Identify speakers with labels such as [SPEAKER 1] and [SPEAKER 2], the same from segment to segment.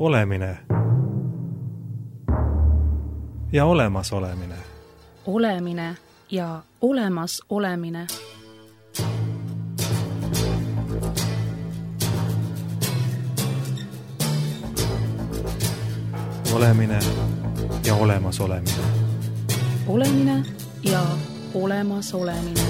[SPEAKER 1] Olemine ja olemasolemine.
[SPEAKER 2] Olemine ja olemas olemine.
[SPEAKER 1] Olemine ja olemas olemine.
[SPEAKER 2] Olemine ja olemas olemine.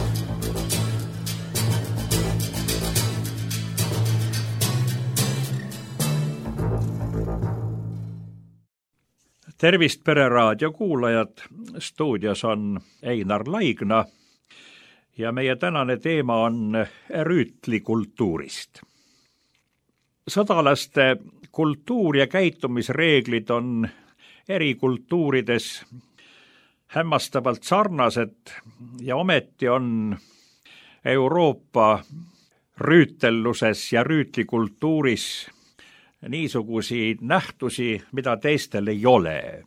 [SPEAKER 3] Tervist Pereraadio kuulajad, stuudios on Einar Laigna ja meie tänane teema on rüütlikultuurist. Sõdalaste kultuur ja käitumisreeglid on eri kultuurides hämmastavalt sarnased ja ometi on Euroopa rüütelluses ja rüütlikultuuris niisugusi nähtusi, mida teistel ei ole.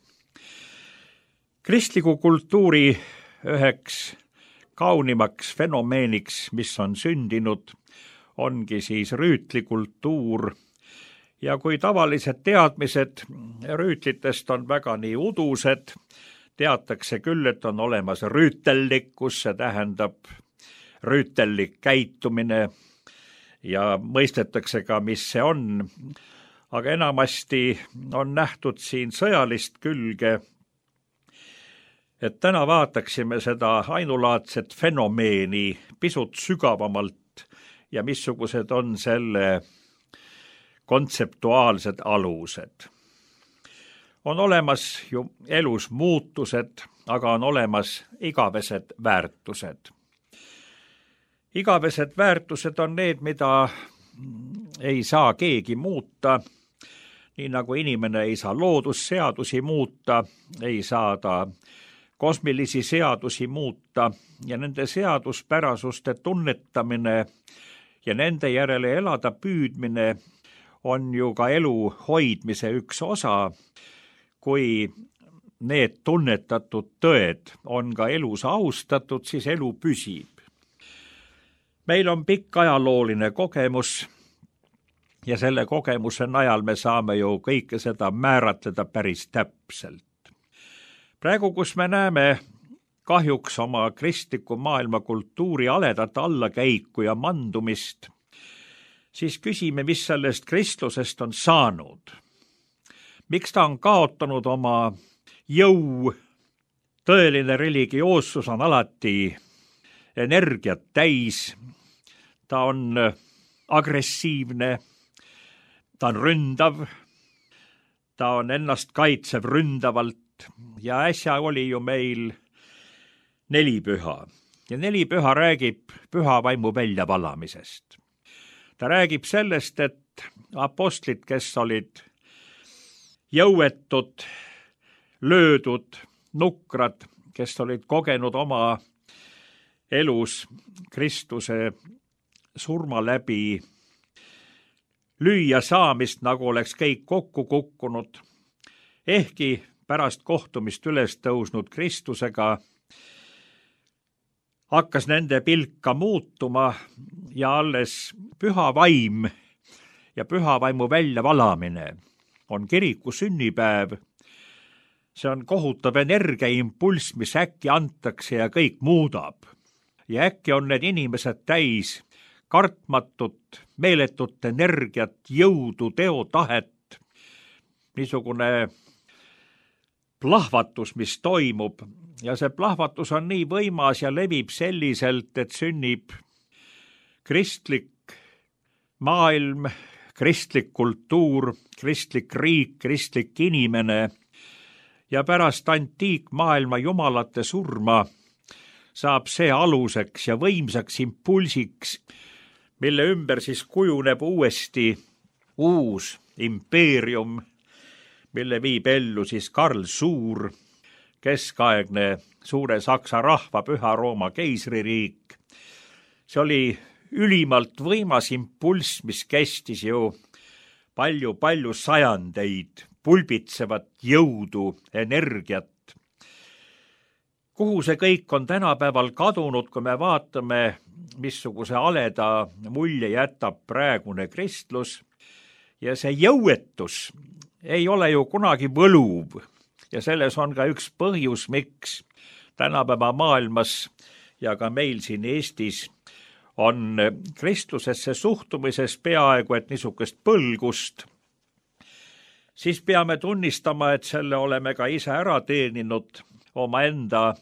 [SPEAKER 3] Kristliku kultuuri üheks kaunimaks fenomeeniks, mis on sündinud, ongi siis rüütlikultuur. Ja kui tavalised teadmised rüütlitest on väga nii udused, teatakse küll, et on olemas rüütellikkus, see tähendab rüütellik käitumine ja mõistetakse ka, mis see on. Aga enamasti on nähtud siin sõjalist külge, et täna vaataksime seda ainulaadset fenomeeni pisut sügavamalt ja missugused on selle kontseptuaalsed alused. On olemas ju elus muutused, aga on olemas igavesed väärtused. Igavesed väärtused on need, mida ei saa keegi muuta, nii nagu inimene ei saa loodusseadusi muuta, ei saa ta kosmilisi seadusi muuta ja nende seaduspärasuste tunnetamine ja nende järele elada püüdmine on ju ka elu hoidmise üks osa, kui need tunnetatud tõed on ka elus austatud, siis elu püsib. Meil on pikk ajalooline kogemus ja selle kogemuse najal me saame ju kõike seda määratleda päris täpselt. Praegu, kus me näeme kahjuks oma kristliku maailma kultuuri aledat allakäiku ja mandumist, siis küsime, mis sellest kristlusest on saanud. Miks ta on kaotanud oma jõu? Tõeline religioossus on alati energiat täis, ta on agressiivne, ta on ründav, ta on ennast kaitsev ründavalt ja äsja oli ju meil nelipüha. Ja nelipüha räägib püha vaimu väljavalamisest. Ta räägib sellest, et apostlid, kes olid jõuetud, löödud, nukrad, kes olid kogenud oma elus Kristuse surma läbi lüüa saamist, nagu oleks kõik kokku kukkunud, ehkki pärast kohtumist üles tõusnud Kristusega hakkas nende pilk ka muutuma ja alles püha vaim ja püha vaimu väljavalamine on kiriku sünnipäev. See on kohutav energiaimpulss, mis äkki antakse ja kõik muudab. Ja äkki on need inimesed täis kartmatut, meeletut energiat, jõudu, teotahet, niisugune plahvatus, mis toimub. Ja see plahvatus on nii võimas ja levib selliselt, et sünnib kristlik maailm, kristlik kultuur, kristlik riik, kristlik inimene ja pärast antiikmaailma jumalate surma saab see aluseks ja võimsaks impulsiks, mille ümber siis kujuneb uuesti uus impeerium, mille viib ellu siis Karl Suur, keskaegne suure Saksa rahva Püha Rooma keisririik. See oli ülimalt võimas impulss, mis kestis ju palju sajandeid, pulbitsevat jõudu, energiat. Kuhu see kõik on tänapäeval kadunud, kui me vaatame, missuguse aleda mulje jätab praegune kristlus ja see jõuetus ei ole ju kunagi võluv ja selles on ka üks põhjus, miks tänapäeva maailmas ja ka meil siin Eestis on kristlusesse suhtumises peaaegu et niisugust põlgust, siis peame tunnistama, et selle oleme ka ise ära teeninud omaenda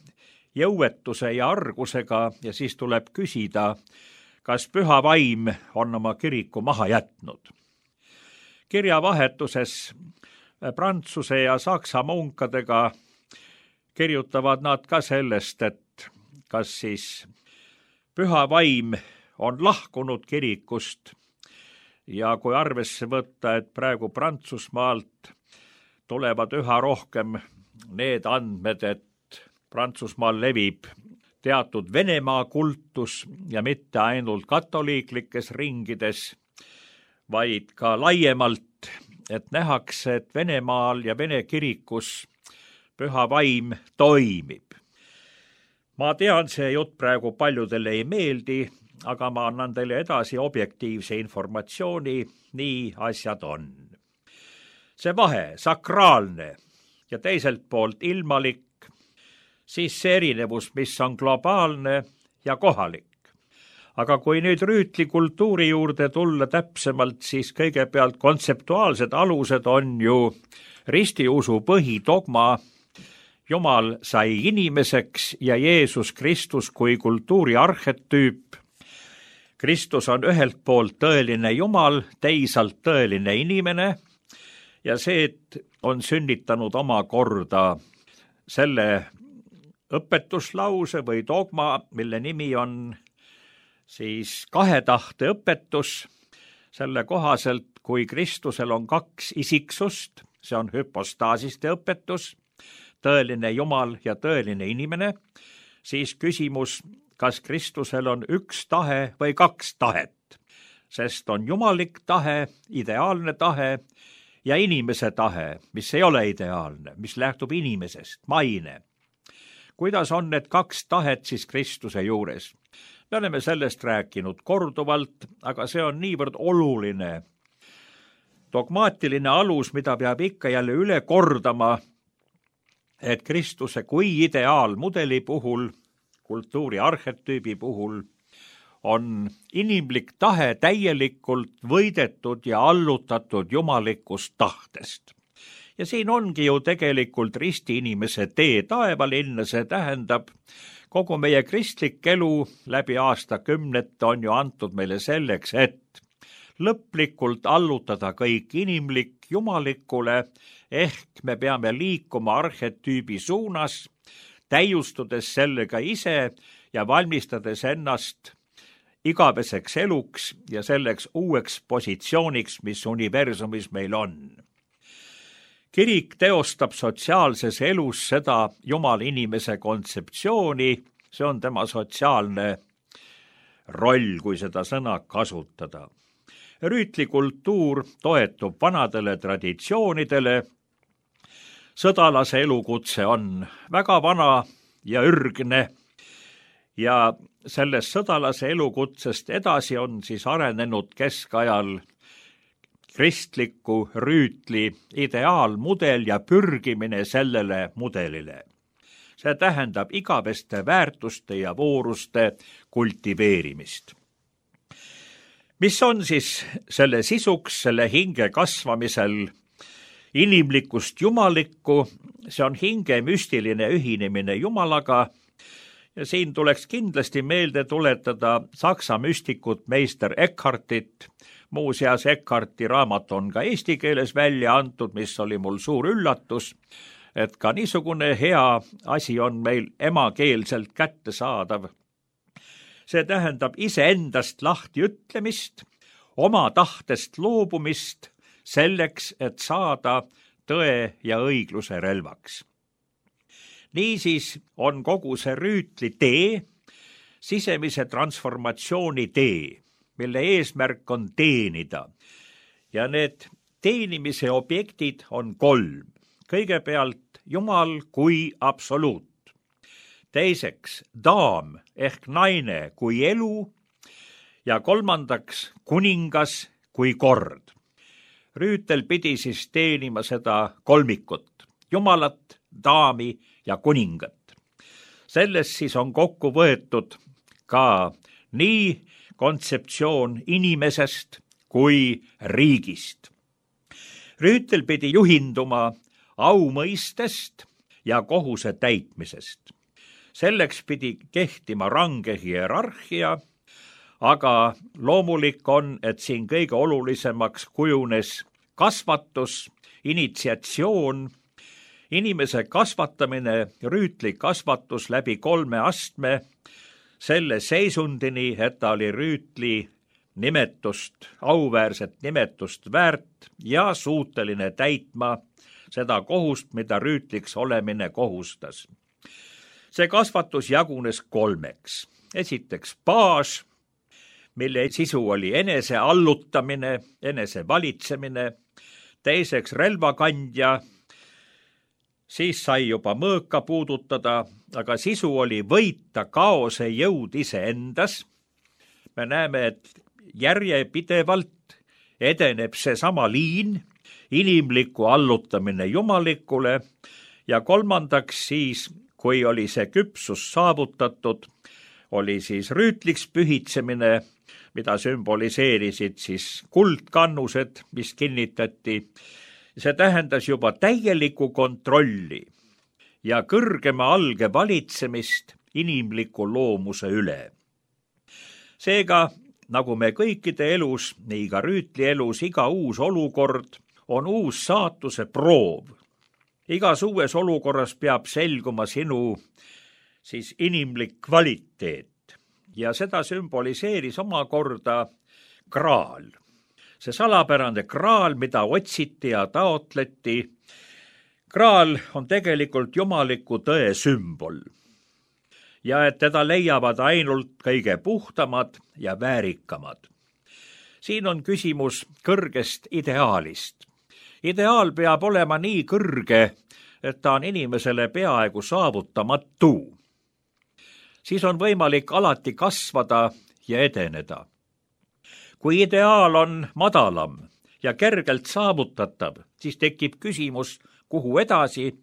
[SPEAKER 3] jõuetuse ja argusega ja siis tuleb küsida, kas püha vaim on oma kiriku maha jätnud. Kirjavahetuses Prantsuse ja Saksa munkadega kirjutavad nad ka sellest, et kas siis püha vaim on lahkunud kirikust ja kui arvesse võtta, et praegu Prantsusmaalt tulevad üha rohkem need andmed, et Prantsusmaal levib teatud Venemaa kultus ja mitte ainult katoliiklikes ringides, vaid ka laiemalt, et nähakse, et Venemaal ja Vene kirikus püha vaim toimib. Ma tean, see jutt praegu paljudele ei meeldi, aga ma annan teile edasi objektiivse informatsiooni, nii asjad on. See vahe, sakraalne ja teiselt poolt ilmalik, siis see erinevus, mis on globaalne ja kohalik. Aga kui nüüd rüütli kultuuri juurde tulla täpsemalt, siis kõigepealt kontseptuaalsed alused on ju ristiusu põhidogma. Jumal sai inimeseks ja Jeesus Kristus kui kultuuri arhetüüp. Kristus on ühelt poolt tõeline Jumal, teisalt tõeline inimene ja see, et on sünnitanud omakorda selle õpetuslause või dogma, mille nimi on siis kahe tahte õpetus. Selle kohaselt, kui Kristusel on kaks isiksust, see on hüpostaasiste õpetus, tõeline Jumal ja tõeline inimene, siis küsimus, kas Kristusel on üks tahe või kaks tahet, sest on jumalik tahe, ideaalne tahe ja inimese tahe, mis ei ole ideaalne, mis lähtub inimesest, maine. Kuidas on need kaks tahet siis Kristuse juures? Me oleme sellest rääkinud korduvalt, aga see on niivõrd oluline dogmaatiline alus, mida peab ikka jälle üle kordama, et Kristuse kui ideaalmudeli puhul, kultuuri arhetüübi puhul, on inimlik tahe täielikult võidetud ja allutatud jumalikust tahtest. Ja siin ongi ju tegelikult risti inimese tee taevalinna, see tähendab, kogu meie kristlik elu läbi aastakümnete on ju antud meile selleks, et lõplikult allutada kõik inimlik jumalikule, ehk me peame liikuma arhetüübi suunas, täiustudes sellega ise ja valmistades ennast igaveseks eluks ja selleks uueks positsiooniks, mis universumis meil on. Kirik teostab sotsiaalses elus seda Jumala inimese kontseptsiooni, see on tema sotsiaalne roll, kui seda sõna kasutada. Rüütli kultuur toetub vanadele traditsioonidele, sõdalase elukutse on väga vana ja ürgne ja sellest sõdalase elukutsest edasi on siis arenenud keskajal kristliku rüütli ideaalmudel ja pürgimine sellele mudelile. See tähendab igaveste väärtuste ja vooruste kultiveerimist. Mis on siis selle sisuks, selle hinge kasvamisel inimlikust jumalikku? See on hinge müstiline ühinemine Jumalaga ja siin tuleks kindlasti meelde tuletada saksa müstikut meister Eckhartit. Muuseas, Eckharti raamat on ka eesti keeles välja antud, mis oli mul suur üllatus, et ka niisugune hea asi on meil emakeelselt kättesaadav. See tähendab iseendast lahti ütlemist, oma tahtest loobumist selleks, et saada tõe ja õigluse relvaks. Niisiis on kogu see rüütli tee, sisemise transformatsiooni tee, mille eesmärk on teenida. Ja need teenimise objektid on 3. Kõigepealt Jumal kui absoluut. Teiseks daam ehk naine kui elu ja 3. kuningas kui kord. Rüütel pidi siis teenima seda kolmikut, jumalat, daami ja kuningat. Selles siis on kokku võetud ka nii kontseptsioon inimesest kui riigist. Rüütel pidi juhinduma aumõistest ja kohuse täitmisest. Selleks pidi kehtima range hierarhia, aga loomulik on, et siin kõige olulisemaks kujunes kasvatus, initsiatsioon, inimese kasvatamine, rüütli kasvatus läbi 3 astme, selle seisundini, et ta oli rüütli nimetust, auväärset nimetust väärt ja suuteline täitma seda kohust, mida rüütliks olemine kohustas. See kasvatus jagunes 3. Esiteks baas, mille sisu oli enese allutamine, enese valitsemine, teiseks relvakandja, siis sai juba mõõka puudutada, aga sisu oli võita kaose jõud iseendas. Me näeme, et järjepidevalt edeneb seesama liin, inimliku allutamine jumalikule ja 3. siis, kui oli see küpsus saavutatud, oli siis rüütliks pühitsemine, mida sümboliseerisid siis kuldkannused, mis kinnitati. See tähendas juba täielikku kontrolli ja kõrgema alge valitsemist inimliku loomuse üle. Seega, nagu me kõikide elus, nii ka rüütli elus, iga uus olukord on uus saatuse proov. Igas uues olukorras peab selguma sinu siis inimlik kvaliteet ja seda sümboliseeris omakorda kraal. See salapärane kraal, mida otsiti ja taotleti, kraal on tegelikult jumaliku tõe sümbol. Ja et teda leiavad ainult kõige puhtamad ja väärikamad. Siin on küsimus kõrgest ideaalist. Ideaal peab olema nii kõrge, et ta on inimesele peaaegu saavutamatu. Siis on võimalik alati kasvada ja edeneda. Kui ideaal on madalam ja kergelt saavutatav, siis tekib küsimus, kuhu edasi,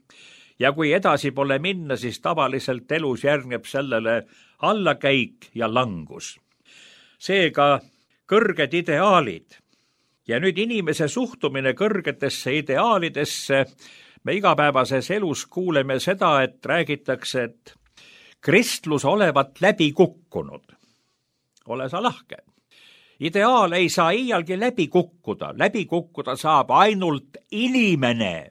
[SPEAKER 3] ja kui edasi pole minna, siis tavaliselt elus järgneb sellele allakäik ja langus. Seega kõrged ideaalid ja nüüd inimese suhtumine kõrgetesse ideaalidesse, me igapäevases elus kuuleme seda, et räägitakse, et kristlus olevat läbi kukkunud. Ole sa lahke. Ideaal ei saa iialgi läbi kukkuda saab ainult inimene,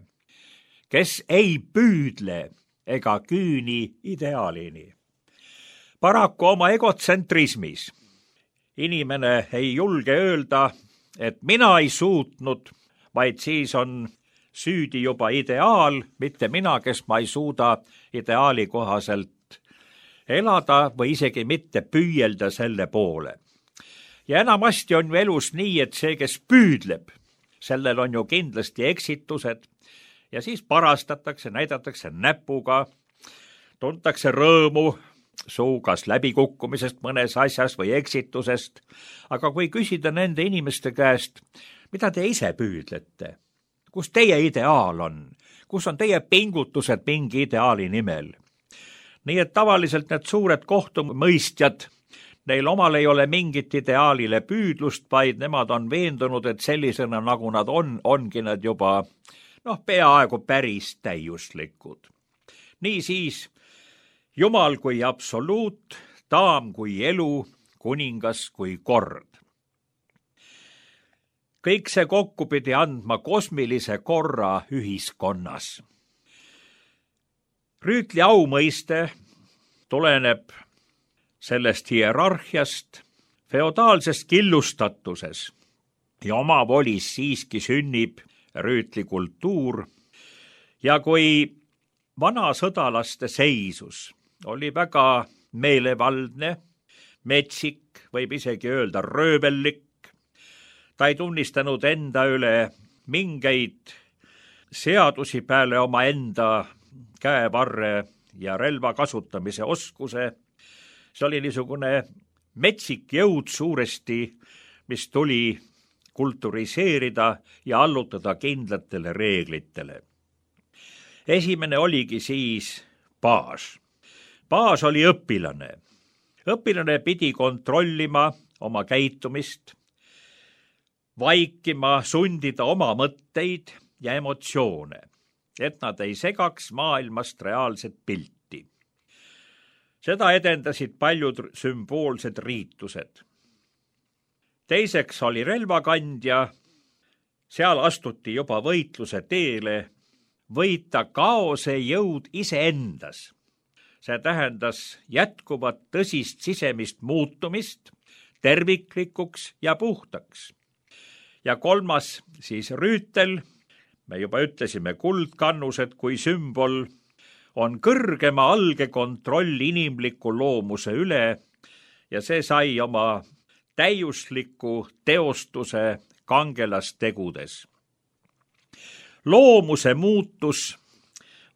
[SPEAKER 3] kes ei püüdle ega küüni ideaalini. Paraku oma egotsentrismis inimene ei julge öelda, et mina ei suutnud, vaid siis on süüdi juba ideaal, mitte mina, kes ma ei suuda ideaali kohaselt elada või isegi mitte püüelda selle poole. Ja enamasti on ju elus nii, et see, kes püüdleb, sellel on ju kindlasti eksitused ja siis parastatakse, näidatakse näpuga, tuntakse rõõmu kas läbikukkumisest mõnes asjas või eksitusest, aga kui küsida nende inimeste käest, mida te ise püüdlete, kus teie ideaal on, kus on teie pingutused mingi ideaali nimel. Nii et tavaliselt need suured kohtumõistjad, neil omal ei ole mingit ideaalile püüdlust, vaid nemad on veendunud, et sellisena, nagu nad ongi nad juba peaaegu päris täiuslikud. Niisiis, Jumal kui absoluut, daam kui elu, kuningas kui kord. Kõik see kokku pidi andma kosmilise korra ühiskonnas. Rüütli aumõiste tuleneb sellest hierarhiast, feodaalsest killustatuses ja omavolis siiski sünnib rüütli kultuur ja kui vana sõdalaste seisus oli väga meelevaldne, metsik, võib isegi öelda röövellik, ta ei tunnistanud enda üle mingeid seadusi peale oma enda käevarre ja relva kasutamise oskuse. See oli niisugune metsik jõud suuresti, mis tuli kulturiseerida ja allutada kindlatele reeglitele. Esimene oligi siis baas. Baas oli õpilane. Õpilane pidi kontrollima oma käitumist, vaikima, sundida oma mõtteid ja emotsioone, et nad ei segaks maailmast reaalset pilti. Seda edendasid paljud sümboolsed riitused. Teiseks oli relvakandja, seal astuti juba võitluse teele, võita kaose jõud iseendas. See tähendas jätkuvat tõsist sisemist muutumist, terviklikuks ja puhtaks. Ja kolmas siis rüütel, me juba ütlesime kuldkannused kui sümbol, on kõrgema alge kontroll inimliku loomuse üle ja see sai oma täiusliku teostuse kangelastegudes. Loomuse muutus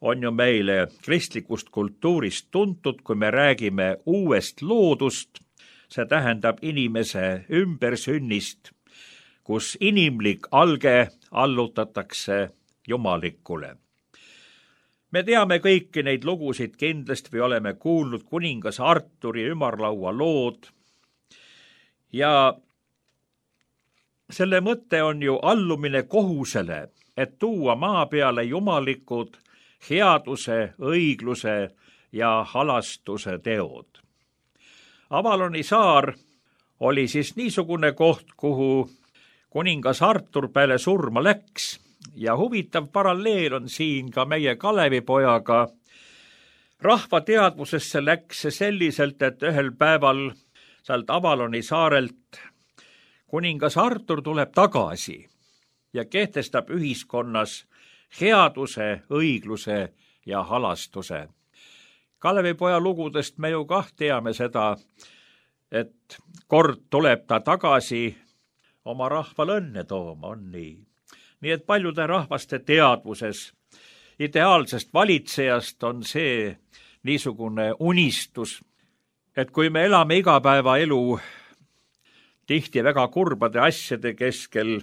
[SPEAKER 3] on ju meile kristlikust kultuurist tuntud, kui me räägime uuest loodust, see tähendab inimese ümbersünnist, kus inimlik alge allutatakse jumalikule. Me teame kõiki neid lugusid kindlasti või oleme kuulnud kuningas Arturi ümarlaua lood ja selle mõte on ju allumine kohusele, et tuua maa peale jumalikud headuse, õigluse ja halastuse teod. Avaloni saar oli siis niisugune koht, kuhu kuningas Artur peale surma läks ja huvitav paralleel on siin ka meie Kalevipojaga. Rahva teadvusesse läks see selliselt, et ühel päeval sealt Avaloni saarelt kuningas Artur tuleb tagasi ja kehtestab ühiskonnas headuse, õigluse ja halastuse. Kalevipoja lugudest me ju kah teame seda, et kord tuleb ta tagasi oma rahval õnne tooma, on nii. Nii et paljude rahvaste teadvuses ideaalsest valitsejast on see niisugune unistus, et kui me elame igapäevaelu tihti väga kurbade asjade keskel,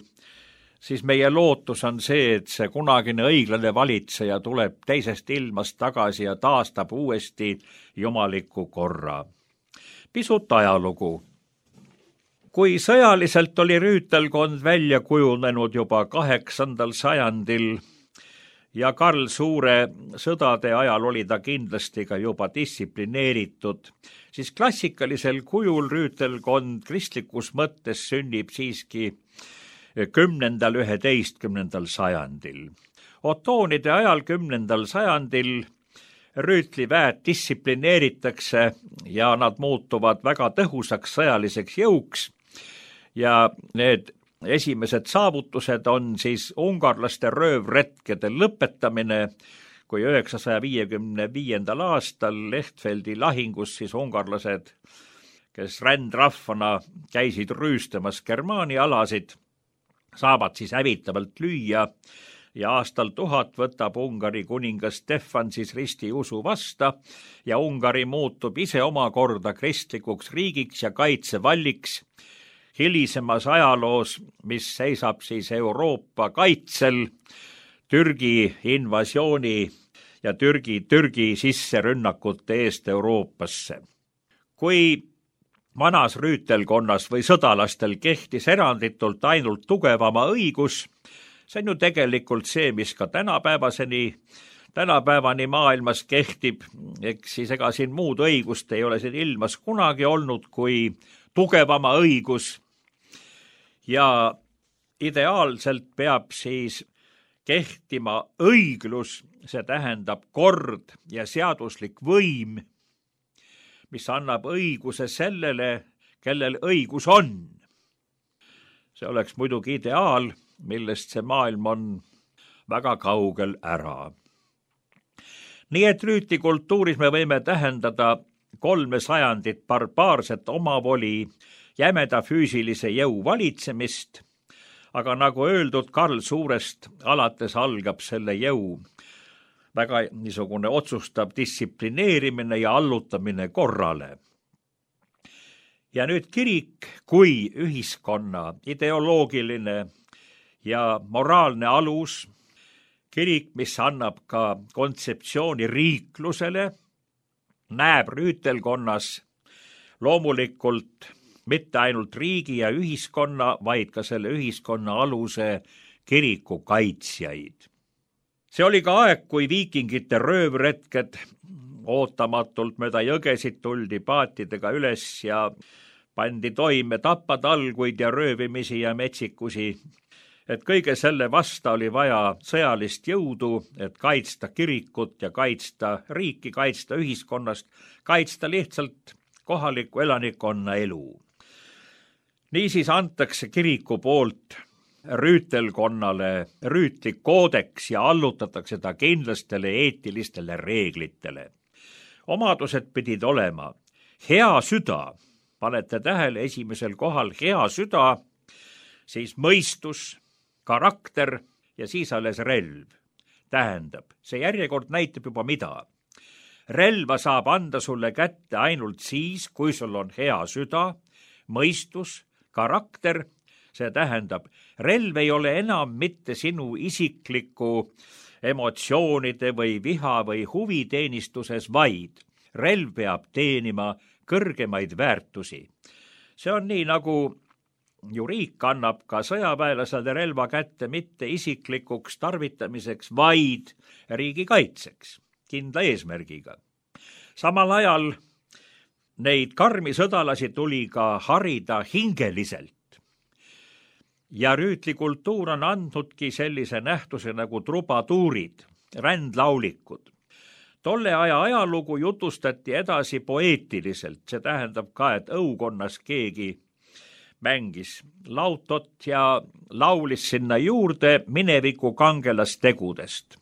[SPEAKER 3] siis meie lootus on see, et see kunagine õiglane valitseja tuleb teisest ilmast tagasi ja taastab uuesti jumaliku korra. Pisut ajalugu. Kui sõjaliselt oli rüütelkond välja kujunenud juba 8. sajandil ja Karl Suure sõdade ajal oli ta kindlasti ka juba distsiplineeritud, siis klassikalisel kujul rüütelkond kristlikus mõttes sünnib siiski 10.–11. sajandil. Otoonide ajal 10. sajandil rüütliväed distsiplineeritakse ja nad muutuvad väga tõhusaks sõjaliseks jõuks ja need esimesed saavutused on siis ungarlaste röövretkede lõpetamine, kui 955. aastal Lehtfeldi lahingus siis ungarlased, kes rändrahvana käisid rüüstamas Germaani alasid, saavad siis hävitavalt lüüa ja aastal 1000 võtab Ungari kuningas Stefan siis ristiusu vasta ja Ungari muutub ise omakorda kristlikuks riigiks ja kaitsevalliks hilisemas ajaloos, mis seisab siis Euroopa kaitsel Türgi invasiooni ja Türgi sisserünnakute eest Euroopasse. Kui vanas rüütelkonnas või sõdalastel kehtis eranditult ainult tugevama õigus, see on ju tegelikult see, mis ka tänapäevani maailmas kehtib, eks siis ega siin muud õigust ei ole siin ilmas kunagi olnud kui tugevama õigus ja ideaalselt peab siis kehtima õiglus, see tähendab kord ja seaduslik võim, mis annab õiguse sellele, kellel õigus on. See oleks muidugi ideaal, millest see maailm on väga kaugel ära. Nii et rüütikultuuris me võime tähendada 3 sajandit barbaarset omavoli, jämeda füüsilise jõu valitsemist, aga nagu öeldud, Karl Suurest alates algab selle jõu väga niisugune otsustav distsiplineerimine ja allutamine korrale. Ja nüüd kirik kui ühiskonna ideoloogiline ja moraalne alus, kirik, mis annab ka kontseptsiooni riiklusele, näeb rüütelkonnas loomulikult mitte ainult riigi ja ühiskonna, vaid ka selle ühiskonna aluse kiriku kaitsjaid. See oli ka aeg, kui viikingite röövretked ootamatult mööda jõgesid tuldi paatidega üles ja pandi toime tapatalguid ja röövimisi ja metsikusi. Et kõige selle vasta oli vaja sõjalist jõudu, et kaitsta kirikut ja kaitsta riiki, kaitsta ühiskonnast, kaitsta lihtsalt kohaliku elanikkonna elu. Niisiis antakse kiriku poolt rüütelkonnale rüütlik koodeks ja allutatakse ta kindlastele eetilistele reeglitele. Omadused pidid olema hea süda, panete tähele, esimesel kohal hea süda, siis mõistus, karakter ja siis alles relv. Tähendab, see järjekord näitab juba mida. Relva saab anda sulle kätte ainult siis, kui sul on hea süda, mõistus, karakter, see tähendab, relv ei ole enam mitte sinu isikliku emotsioonide või viha või huviteenistuses, vaid relv peab teenima kõrgemaid väärtusi. See on nii, nagu ju riik annab ka sõjaväelasele relva kätte mitte isiklikuks tarvitamiseks, vaid riigikaitseks, kindla eesmärgiga. Samal ajal neid karmi sõdalasi tuli ka harida hingeliselt. Ja rüütlikultuur on andnudki sellise nähtuse nagu trubatuurid, rändlaulikud. Tolle aja ajalugu jutustati edasi poeetiliselt, see tähendab ka, et õukonnas keegi mängis lautot ja laulis sinna juurde mineviku kangelastegudest.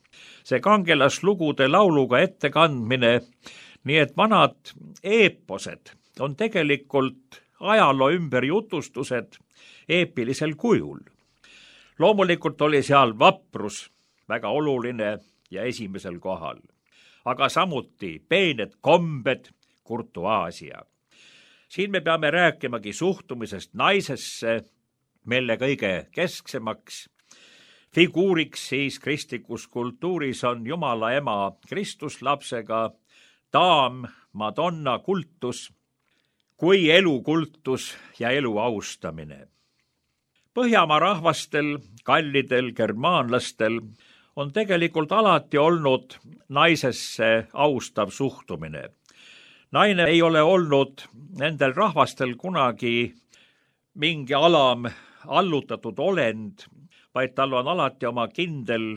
[SPEAKER 3] See kangelaslugude lauluga ettekandmine, nii et vanad eeposed on tegelikult ajaloo ümberjutustused eepilisel kujul. Loomulikult oli seal vaprus väga oluline ja esimesel kohal, aga samuti peened kombed, kurtuaasia. Siin me peame rääkimagi suhtumisest naisesse, mille kõige kesksemaks figuuriks siis kristlikus kultuuris on Jumala ema Kristuslapsega, daam, Madonna kultus, kui elukultus ja elu austamine. Põhjamaa rahvastel, kallidel, germaanlastel on tegelikult alati olnud naisesse austav suhtumine. Naine ei ole olnud nendel rahvastel kunagi mingi alam allutatud olend, vaid tal on alati oma kindel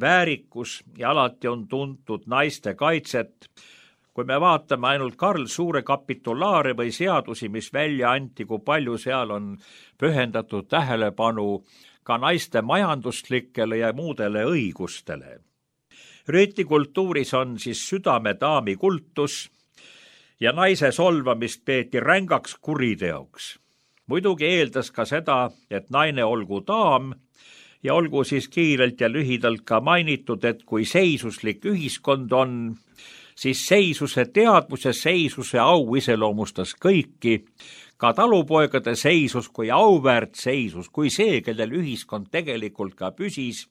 [SPEAKER 3] väärikus ja alati on tuntud naiste kaitset. Kui me vaatame ainult Karl Suure kapitulaare või seadusi, mis välja anti, kui palju seal on pühendatud tähelepanu ka naiste majanduslikele ja muudele õigustele. Rüütlikultuuris on siis südamedaami kultus ja naise solvamist peeti rängaks kuriteoks. Muidugi eeldas ka seda, et naine olgu daam ja olgu siis kiirelt ja lühidalt ka mainitud, et kui seisuslik ühiskond on, siis seisuse teadvus ja seisuse au iseloomustas kõiki, ka talupoegade seisus kui auväärt seisus, kui see, kellel ühiskond tegelikult ka püsis.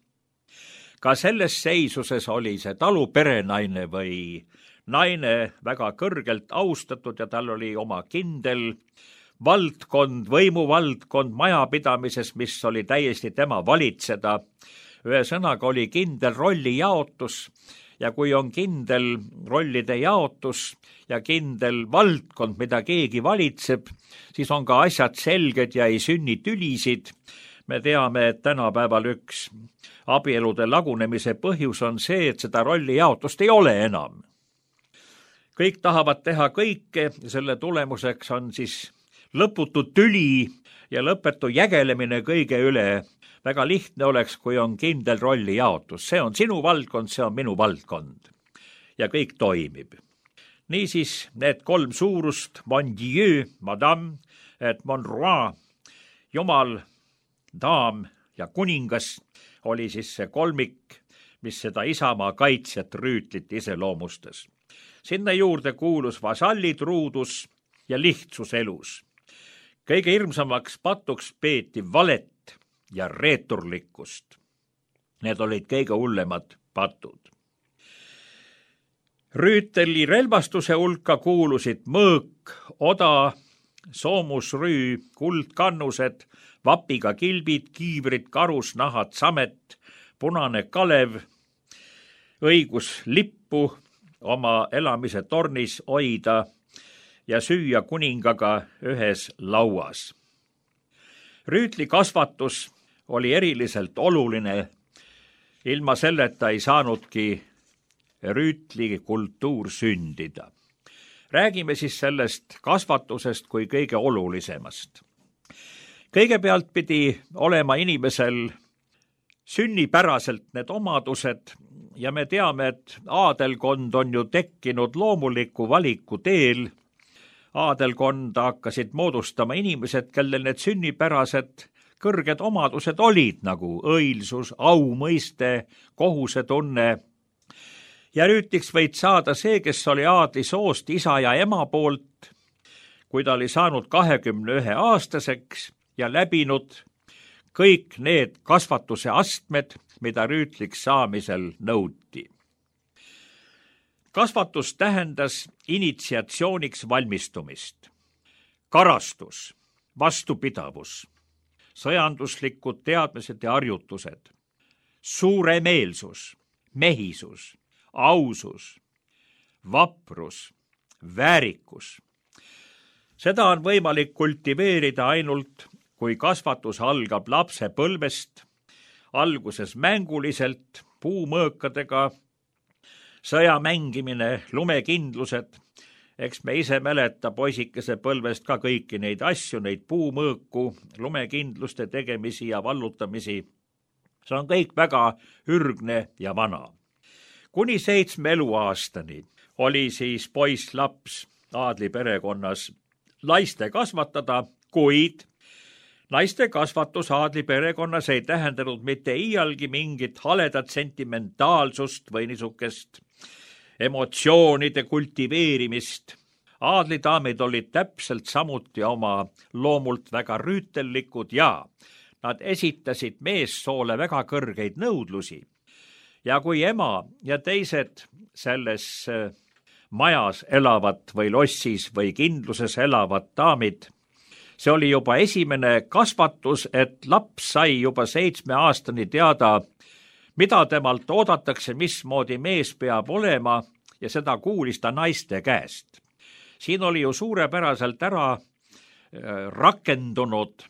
[SPEAKER 3] Ka selles seisuses oli see taluperenaine või naine väga kõrgelt austatud ja tal oli oma kindel valdkond, võimuvaldkond majapidamises, mis oli täiesti tema valitseda. Ühesõnaga oli kindel rollijaotus ja kui on kindel rollide jaotus ja kindel valdkond, mida keegi valitseb, siis on ka asjad selged ja ei sünni tülisid. Me teame, et tänapäeval üks abielude lagunemise põhjus on see, et seda rollijaotust ei ole enam. Kõik tahavad teha kõike ja selle tulemuseks on siis lõputu tüli ja lõpetu jägelemine kõige üle. Väga lihtne oleks, kui on kindel rollijaotus. See on sinu valdkond, see on minu valdkond. Ja kõik toimib. Niisiis need 3 suurust, mon Dieu, madame, et mon roi, jumal, daam ja kuningas, oli siis see kolmik, mis seda isamaa kaitsjat rüütlit iseloomustas. Sinna juurde kuulus vasallitruudus ja lihtsus elus. kõige hirmsamaks patuks peeti valet ja reeturlikkust. Need olid kõige hullemad patud. Rüüteli relvastuse hulka kuulusid mõõk, oda, soomusrüü, kuldkannused, vapiga kilbid, kiivrid, karusnahad, samet, punane kalev, õigus lippu oma elamise tornis hoida ja süüa kuningaga ühes lauas. Rüütli kasvatus oli eriliselt oluline. Ilma selleta ei saanudki rüütli kultuur sündida. Räägime siis sellest kasvatusest kui kõige olulisemast. Kõigepealt pidi olema inimesel sünnipäraselt need omadused ja me teame, et aadelkond on ju tekkinud loomuliku valiku teel. Aadelkonda hakkasid moodustama inimesed, kellel need sünnipärased kõrged omadused olid nagu õilsus, aumõiste, kohusetunne. Ja rüütliks võid saada see, kes oli aadlisoost isa ja ema poolt, kui ta oli saanud 21-aastaseks ja läbinud kõik need kasvatuse astmed, mida rüütliks saamisel nõuti. Kasvatus tähendas initsiatsiooniks valmistumist, karastus, vastupidavus, sõjanduslikud teadmised ja harjutused, suuremeelsus, mehisus, ausus, vaprus, väärikus. Seda on võimalik kultiveerida ainult, kui kasvatus algab lapsepõlvest, alguses mänguliselt, puumõõkadega, sõja mängimine, lumekindlused. Eks me ise mäleta poisikese põlvest ka kõiki neid asju, neid puumõõku, lumekindluste tegemisi ja vallutamisi. See on kõik väga ürgne ja vana. Kuni 7 eluaastani oli siis poiss-laps aadli perekonnas naiste kasvatada, kuid naiste kasvatus aadli perekonnas ei tähendanud mitte iialgi mingit haledat sentimentaalsust või niisugust emotsioonide kultiveerimist. Aadlidaamid olid täpselt samuti oma loomult väga rüütellikud ja nad esitasid meessoole väga kõrgeid nõudlusi. Ja kui ema ja teised selles majas elavad või lossis või kindluses elavad daamid, see oli juba esimene kasvatus, et laps sai juba 7 aastani teada, mida temalt oodatakse, mismoodi mees peab olema ja seda kuulis ta naiste käest. Siin oli ju suurepäraselt ära rakendunud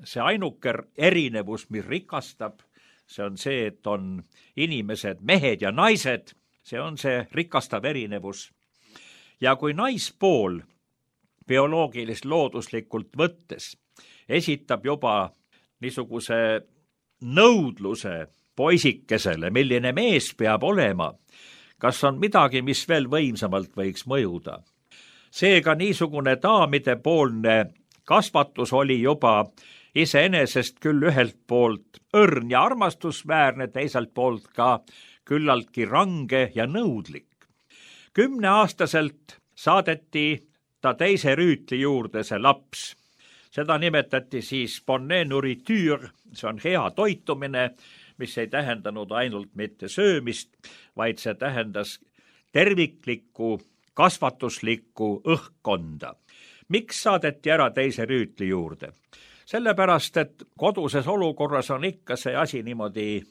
[SPEAKER 3] see ainuke erinevus, mis rikastab. See on see, et on inimesed, mehed ja naised, see on see rikastav erinevus. Ja kui naispool bioloogilist looduslikult võttes esitab juba niisuguse nõudluse poisikesele, milline mees peab olema, kas on midagi, mis veel võimsamalt võiks mõjuda. Seega niisugune daamidepoolne kasvatus oli juba iseenesest küll ühelt poolt õrn ja armastusväärne, teiselt poolt ka küllaltki range ja nõudlik. 10-aastaselt saadeti ta teise rüütli juurde see laps. Seda nimetati siis bonne nourriture, see on hea toitumine, mis ei tähendanud ainult mitte söömist, vaid see tähendas terviklikku, kasvatuslikku õhkkonda. Miks saadeti ära teise rüütli juurde? Sellepärast, et koduses olukorras on ikka see asi niimoodi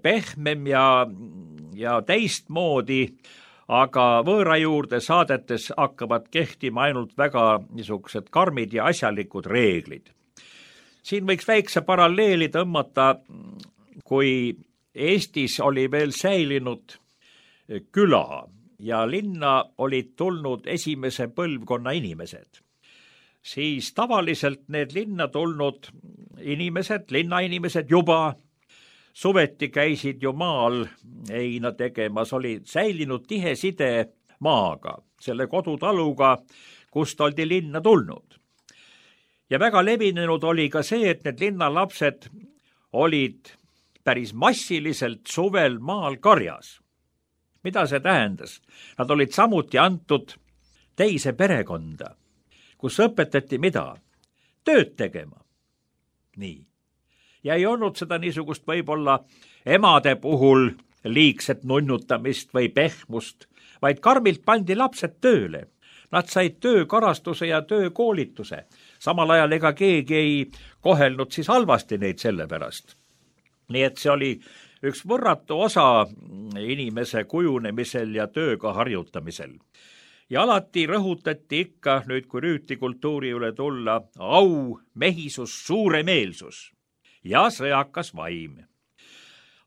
[SPEAKER 3] pehmem ja teistmoodi, aga võõra juurde saadetes hakkavad kehtima ainult väga niisugused karmid ja asjalikud reeglid. Siin võiks väikse paralleeli tõmmata, kui Eestis oli veel säilinud küla ja linna olid tulnud esimese põlvkonna inimesed. Siis tavaliselt need linna tulnud inimesed, linnainimesed juba suveti käisid ju maal heina tegemas, oli säilinud tihe side maaga, selle kodutaluga, kust oldi linna tulnud. Ja väga levinenud oli ka see, et need linnalapsed olid päris massiliselt suvel maal karjas. Mida see tähendas? Nad olid samuti antud teise perekonda, kus õpetati mida? tööd tegema. Nii. Ja ei olnud seda niisugust võib-olla emade puhul liigset nunnutamist või pehmust, vaid karmilt pandi lapsed tööle. Nad said töökarastuse ja töökoolituse. Samal ajal ega keegi ei kohelnud siis halvasti neid selle pärast. Nii et see oli üks võrratu osa inimese kujunemisel ja tööga harjutamisel. Ja alati rõhutati ikka, nüüd kui rüütlikultuuri üle tulla, au, mehisus, suuremeelsus ja sõjakas vaim.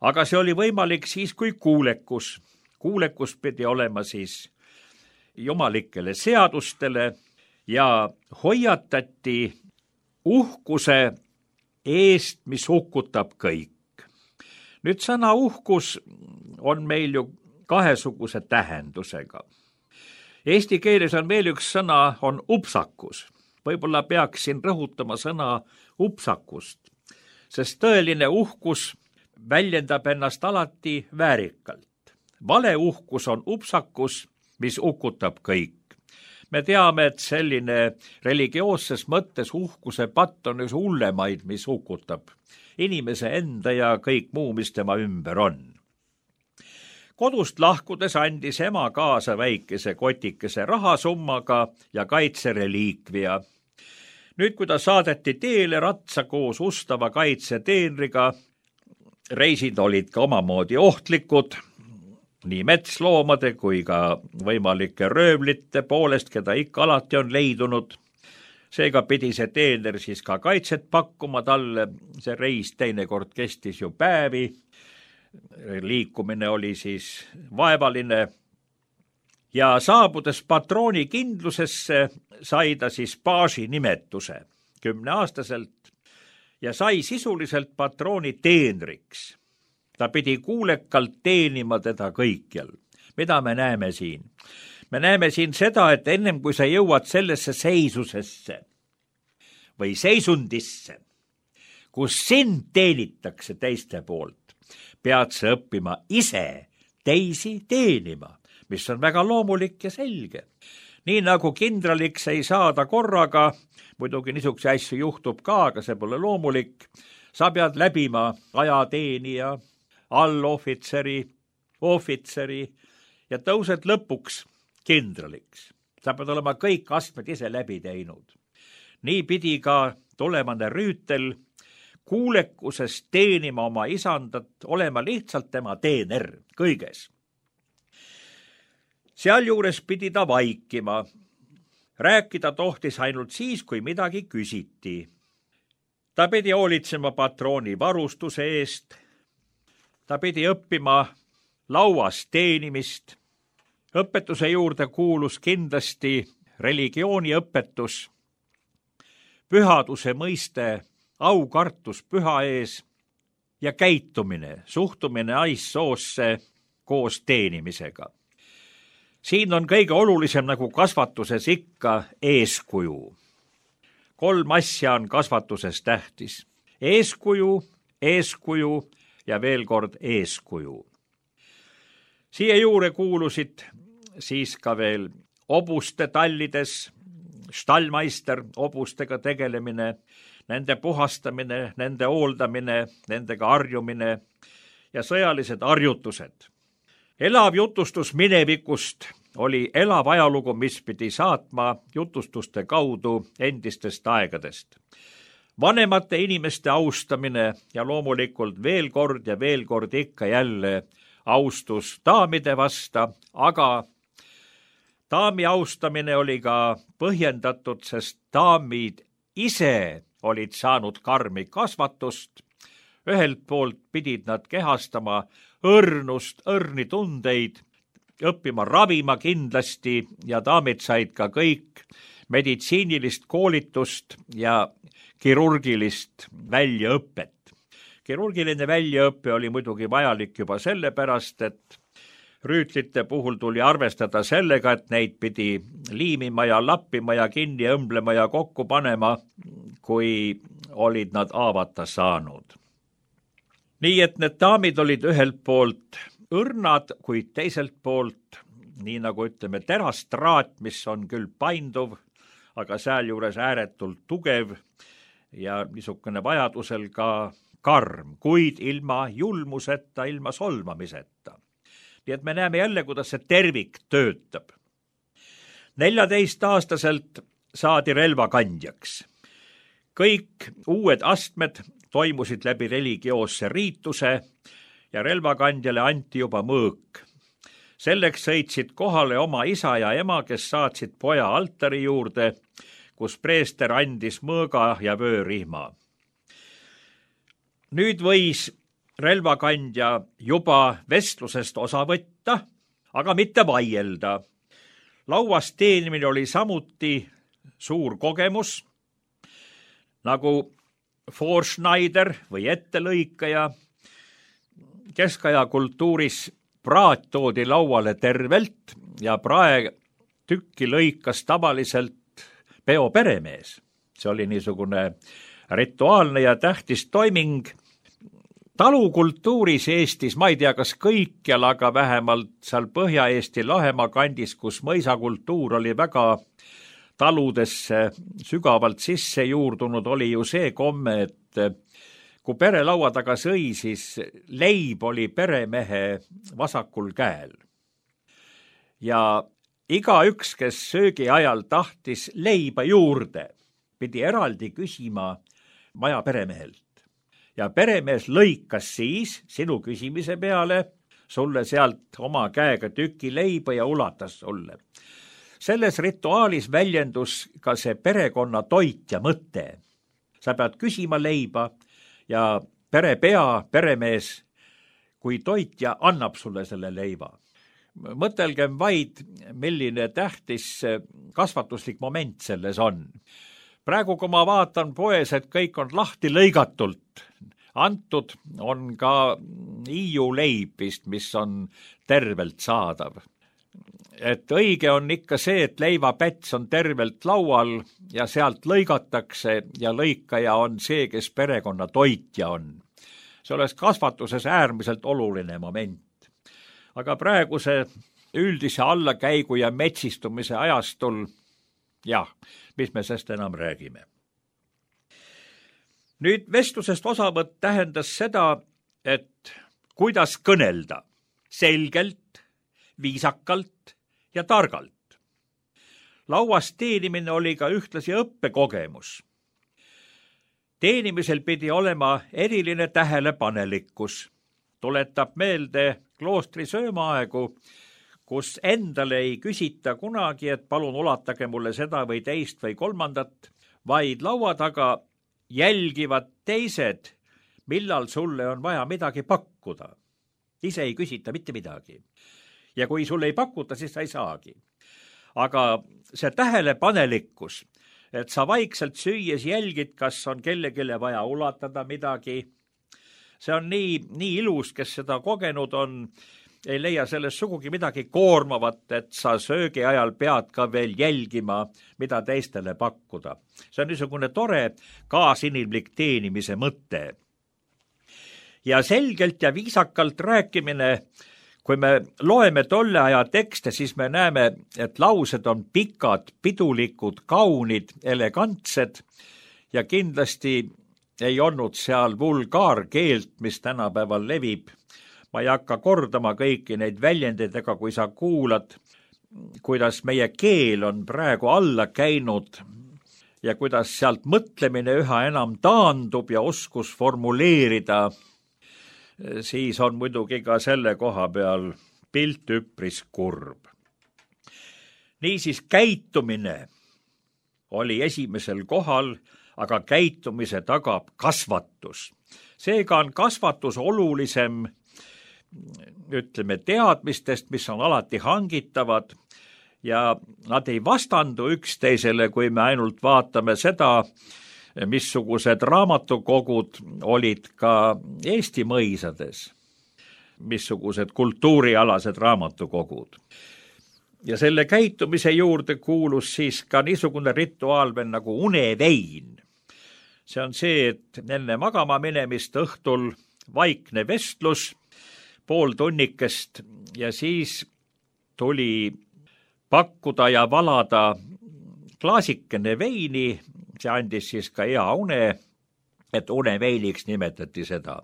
[SPEAKER 3] Aga see oli võimalik siis, kui kuulekus. Kuulekus pidi olema siis jumalikele seadustele ja hoiatati uhkuse eest, mis hukutab kõik. Nüüd sõna uhkus on meil ju kahesuguse tähendusega. Eesti keeles on veel üks sõna, on upsakus. Võib-olla peaksin rõhutama sõna upsakust, sest tõeline uhkus väljendab ennast alati väärikalt. Vale uhkus on upsakus, mis hukutab kõik. Me teame, et selline religioosses mõttes uhkuse patt on üks hullemaid, mis hukutab inimese enda ja kõik muu, mis tema ümber on. Kodust lahkudes andis ema kaasa väikese kotikese rahasummaga ja kaitsereliikvia. Nüüd, kui ta saadeti teele ratsa koos ustava kaitseteenriga, reisid olid ka omamoodi ohtlikud, nii metsloomade kui ka võimalike röövlite poolest, keda ikka alati on leidunud. Seega pidi see teener siis ka kaitset pakkuma talle, see reis teinekord kestis ju päevi, liikumine oli siis vaevaline ja saabudes patrooni kindlusesse sai ta siis paasi nimetuse 10-aastaselt ja sai sisuliselt patrooni teenriks. Ta pidi kuulekalt teenima teda kõikjal. Mida me näeme siin? Me näeme siin seda, et ennem kui sa jõuad sellesse seisusesse või seisundisse, kus sind teenitakse teiste poolt, pead sa õppima ise teisi teenima, mis on väga loomulik ja selge. Nii nagu kindraliks ei saada korraga, muidugi niisuguse asju juhtub ka, aga see pole loomulik, sa pead läbima ajateenija, allohvitseri, ohvitseri ja tõused lõpuks kindraliks. Sa pead olema kõik astmed ise läbi teinud. Nii pidi ka tulemane rüütel kuulekusest teenima oma isandat, olema lihtsalt tema teener kõiges. Sealjuures pidi ta vaikima. Rääkida tohtis ainult siis, kui midagi küsiti. Ta pidi hoolitsema patrooni varustuse eest. Ta pidi õppima lauas teenimist. Õpetuse juurde kuulus kindlasti religiooniõpetus, pühaduse mõiste, aukartus püha ees ja käitumine, suhtumine aissoosse koos teenimisega. Siin on kõige olulisem nagu kasvatuses ikka eeskuju. 3 asja on kasvatuses tähtis. Eeskuju, eeskuju ja veel kord eeskuju. Siia juurde kuulusid siis ka veel obuste tallides, stallmeister, obustega tegelemine, nende puhastamine, nende hooldamine, nendega harjumine ja sõjalised harjutused. Elav jutustus minevikust oli elav ajalugu, mis pidi saatma jutustuste kaudu endistest aegadest. Vanemate inimeste austamine ja loomulikult veel kord ikka jälle austus daamide vasta, aga daami austamine oli ka põhjendatud, sest daamid ise olid saanud karmi kasvatust. Ühelt poolt pidid nad kehastama õrnust, õrnitundeid, õppima ravima kindlasti ja daamid said ka kõik meditsiinilist koolitust ja kirurgilist väljaõpet. Kirurgiline väljaõpe oli muidugi vajalik juba sellepärast, et rüütlite puhul tuli arvestada sellega, et neid pidi liimima ja lappima ja kinni õmblema ja kokku panema, kui olid nad haavata saanud. Nii et need daamid olid ühelt poolt õrnad, kuid teiselt poolt, nii nagu ütleme, terastraat, mis on küll painduv, aga sealjuures ääretult tugev ja niisugune vajadusel ka karm, kuid ilma julmuseta, ilma solvamiseta. Nii et me näeme jälle, kuidas see tervik töötab. 14-aastaselt saadi relvakandjaks. Kõik uued astmed toimusid läbi religioosse riituse ja relvakandjale anti juba mõõk. Selleks sõitsid kohale oma isa ja ema, kes saatsid poja altari juurde, kus preester andis mõõga ja vöörihma. Nüüd võis relvakandja juba vestlusest osa võtta, aga mitte vaielda. Lauas teenimine oli samuti suur kogemus, nagu Vorschneider või ettelõikaja. Keskaja kultuuris praat toodi lauale tervelt ja praetükki lõikas tavaliselt peo peremees. See oli niisugune rituaalne ja tähtis toiming. Talukultuuris Eestis, ma ei tea, kas kõikjal, aga vähemalt seal Põhja-Eesti Lahemaa kandis, kus mõisakultuur oli väga taludesse sügavalt sisse juurdunud, oli ju see komme, et kui pere laua taga sõi, siis leib oli peremehe vasakul käel. Ja igaüks, kes söögi ajal tahtis leiba juurde, pidi eraldi küsima maja peremehelt. Ja peremees lõikas siis sinu küsimise peale sulle sealt oma käega tüki leiba ja ulatas sulle. Selles rituaalis väljendus ka see perekonna toitja mõte. Sa pead küsima leiba ja peremees, kui toitja, annab sulle selle leiva. Mõtelgem vaid, milline tähtis kasvatuslik moment selles on. Praegu, kui ma vaatan poes, et kõik on lahti lõigatult, antud on ka Hiiu leib vist, mis on tervelt saadav. Et õige on ikka see, et leivapäts on tervelt laual ja sealt lõigatakse ja lõikaja on see, kes perekonna toitja on. See oleks kasvatuses äärmiselt oluline moment. Aga praeguse üldise allakäigu ja metsistumise ajastul, jah, mis me sest enam räägime. Nüüd vestlusest osavõtt tähendas seda, et kuidas kõnelda selgelt, viisakalt ja targalt. Lauas teenimine oli ka ühtlasi õppekogemus. Teenimisel pidi olema eriline tähelepanelikkus. Tuletab meelde kloostri söömaaegu, kus endale ei küsita kunagi, et palun ulatage mulle seda või teist või kolmandat, vaid laua taga jälgivad teised, millal sulle on vaja midagi pakkuda. Ise ei küsita mitte midagi. Ja kui sulle ei pakuta, siis sa ei saagi. Aga see tähelepanelikkus, et sa vaikselt süües jälgid, kas on kellegile vaja ulatada midagi, see on nii ilus, kes seda kogenud on, ei leia selles sugugi midagi koormavat, et sa söögi ajal pead ka veel jälgima, mida teistele pakkuda. See on niisugune tore kaasinimlik teenimise mõte. Ja selgelt ja viisakalt rääkimine, kui me loeme tolle aja tekste, siis me näeme, et laused on pikad, pidulikud, kaunid, elegantsed ja kindlasti ei olnud seal vulgaarkeelt, mis tänapäeval levib. Ma ei hakka kordama kõiki neid väljendeid, ega kui sa kuulad, kuidas meie keel on praegu alla käinud ja kuidas sealt mõtlemine üha enam taandub ja oskus formuleerida, siis on muidugi ka selle koha peal pilt üpris kurb. Niisiis käitumine oli esimesel kohal, aga käitumise tagab kasvatus. Seega on kasvatus olulisem, ütleme, teadmistest, mis on alati hangitavad ja nad ei vastandu üksteisele, kui me ainult vaatame seda, missugused raamatukogud olid ka Eesti mõisades, missugused kultuurialased raamatukogud. Ja selle käitumise juurde kuulus siis ka niisugune rituaal veel nagu unevein. See on see, et enne magama minemist õhtul vaikne vestlus, pool tunnikest ja siis tuli pakkuda ja valada klaasikene veini, see andis siis ka hea une, et uneveiniks nimetati seda.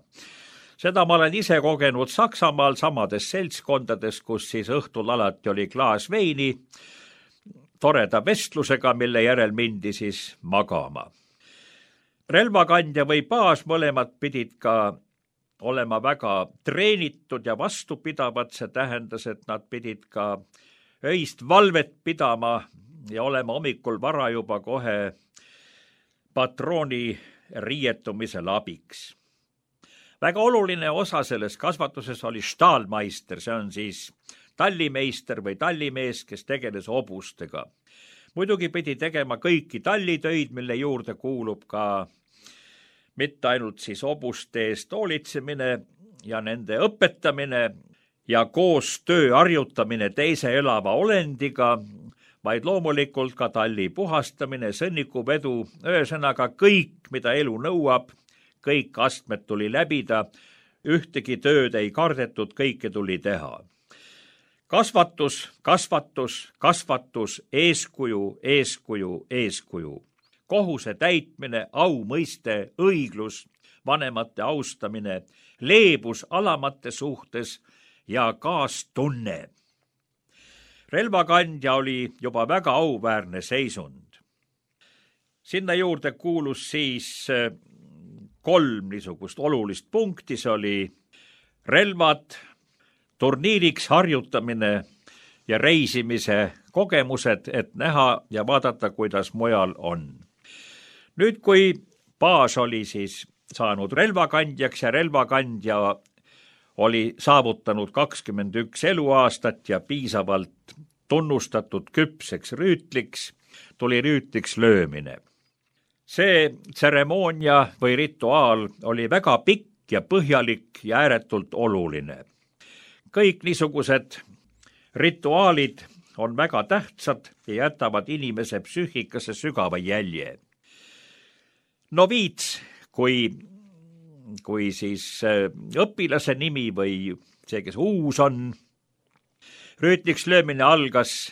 [SPEAKER 3] Seda ma olen ise kogenud Saksamaal samades seltskondades, kus siis õhtul alati oli klaas veini, toreda vestlusega, mille järel mindi siis magama. Relvakandja või baas mõlemad pidid ka olema väga treenitud ja vastupidavad, see tähendas, et nad pidid ka öist valvet pidama ja olema hommikul vara juba kohe patrooni riietumisel abiks. Väga oluline osa selles kasvatuses oli staalmeister, see on siis tallimeister või tallimees, kes tegeles hobustega. Muidugi pidi tegema kõiki tallitöid, mille juurde kuulub ka mitte ainult siis hobuste eest hoolitsemine ja nende õpetamine ja koos töö harjutamine teise elava olendiga, vaid loomulikult ka talli puhastamine, sõnnikuvedu, ühesõnaga kõik, mida elu nõuab, kõik astmed tuli läbida, ühtegi tööd ei kardetud, kõike tuli teha. Kasvatus, kasvatus, kasvatus, eeskuju, eeskuju, eeskuju. Kohuse täitmine, au mõiste, õiglus, vanemate austamine, leebus alamate suhtes ja kaastunne. Relvakandja oli juba väga auväärne seisund. Sinna juurde kuulus siis 3 niisugust olulist punkti, see oli relvad, turniiriks harjutamine ja reisimise kogemused, et näha ja vaadata, kuidas mujal on. Nüüd, kui baas oli siis saanud relvakandjaks ja relvakandja oli saavutanud 21 eluaastat ja piisavalt tunnustatud küpseks rüütliks, tuli rüütliks löömine. See tseremoonia või rituaal oli väga pikk ja põhjalik ja ääretult oluline. Kõik niisugused rituaalid on väga tähtsad ja jätavad inimese psüühikasse sügava jälje. Noviits, kui siis õpilase nimi või see, kes uus on, rüütliks löömine algas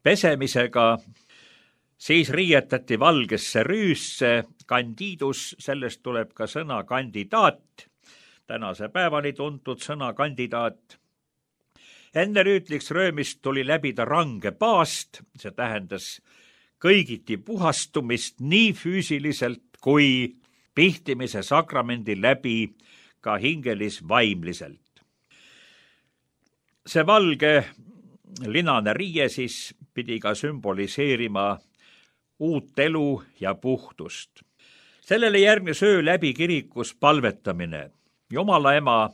[SPEAKER 3] pesemisega, siis riietati valgesse rüüsse, kandiidus, sellest tuleb ka sõna kandidaat, tänase päevani tuntud sõna kandidaat. Enne rüütliks röömist tuli läbida range paast, see tähendas kõigiti puhastumist nii füüsiliselt kui pihtimise sakramendi läbi ka hingelis-vaimliselt. See valge linane riie siis pidi ka sümboliseerima uut elu ja puhtust. Sellele järgnes öö läbi kirikus palvetamine Jumala ema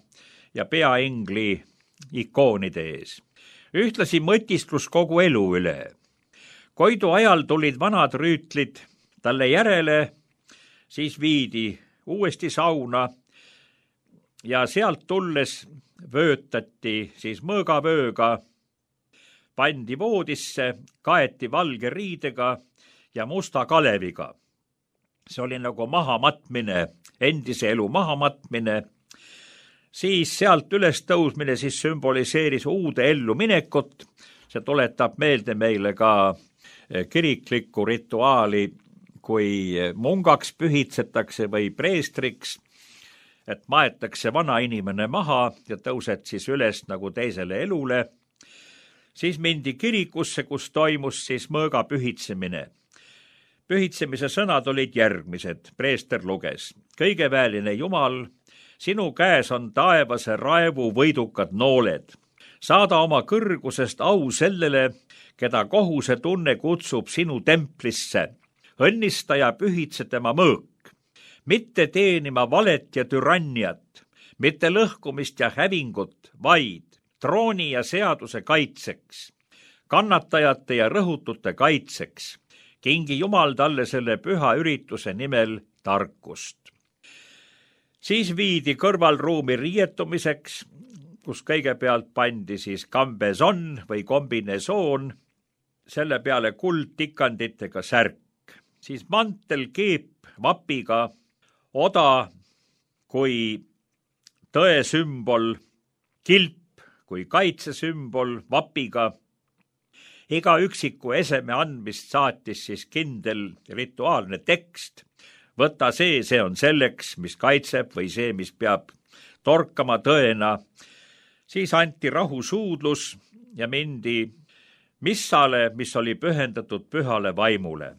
[SPEAKER 3] ja peaingli ikoonide ees. Ühtlasi mõtisklus kogu elu üle. Koidu ajal tulid vanad rüütlid talle järele, siis viidi uuesti sauna ja sealt tulles vöötati siis mõõgavööga, pandi voodisse, kaeti valge riidega ja musta kaleviga. See oli nagu mahamatmine, endise elu mahamatmine. Siis sealt üles tõusmine siis sümboliseeris uude ellu minekut. See tuletab meelde meile ka kiriklikku rituaali, kui mungaks pühitsetakse või preestriks, et maetakse vana inimene maha ja tõused siis üles nagu teisele elule. Siis mindi kirikusse, kus toimus siis mõõga pühitsemine. Pühitsemise sõnad olid järgmised, preester luges. Kõigeväeline Jumal, sinu käes on taevase raevu võidukad nooled. Saada oma kõrgusest au sellele, keda kohuse tunne kutsub sinu templisse. Õnnista ja pühitse tema mõõk. Mitte teenima valet ja türanniat, mitte lõhkumist ja hävingut, vaid trooni ja seaduse kaitseks, kannatajate ja rõhutute kaitseks. Kingi Jumal talle selle püha ürituse nimel tarkust. Siis viidi kõrvalruumi riietumiseks, kus kõigepealt pandi siis kambeson või kombinesoon, selle peale kuldtikanditega särk, siis mantel, keep vapiga, oda kui tõe sümbol, kilp kui kaitsesümbol vapiga, Iga üksiku eseme andmist saatis siis kindel rituaalne tekst. Võta see on selleks, mis kaitseb või see, mis peab torkama tõena. Siis anti rahusuudlus ja mindi missale, mis oli pühendatud pühale vaimule.